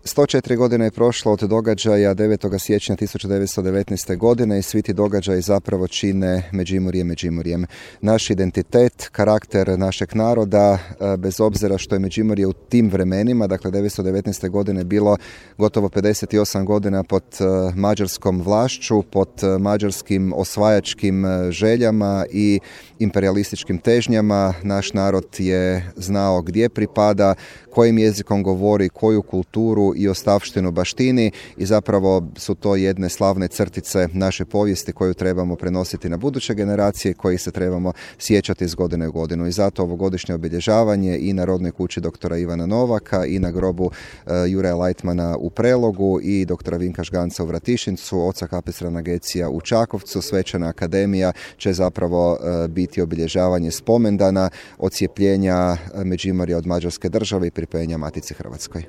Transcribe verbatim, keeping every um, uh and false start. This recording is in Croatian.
sto četiri godine je prošlo od događaja devetog siječnja tisuću devetsto devetnaeste. godine i svi ti događaji zapravo čine Međimurje Međimurjem. Naš identitet, karakter našeg naroda, bez obzira što je Međimurje u tim vremenima, dakle devetsto devetnaeste. godine bilo gotovo pedeset osam godina pod mađarskom vlašću, pod mađarskim osvajačkim željama i imperialističkim težnjama. Naš narod je znao gdje pripada, kojim jezikom govori, koju kulturu i ostavštinu baštini i zapravo su to jedne slavne crtice naše povijesti koju trebamo prenositi na buduće generacije, kojih se trebamo sjećati iz godine u godinu. I zato ovogodišnje obilježavanje i na rodnoj kući doktora Ivana Novaka i na grobu uh, Juraja Lajtmana u Prelogu i doktora Vinka Žganca u Vratišincu, oca Kapestrana Gecija u Čakovcu, Svečana akademija će zapravo uh, biti obilježavanje spomendana odcijepljenja Međimurja od Mađarske države i pripojenja Matici Hrvatskoj.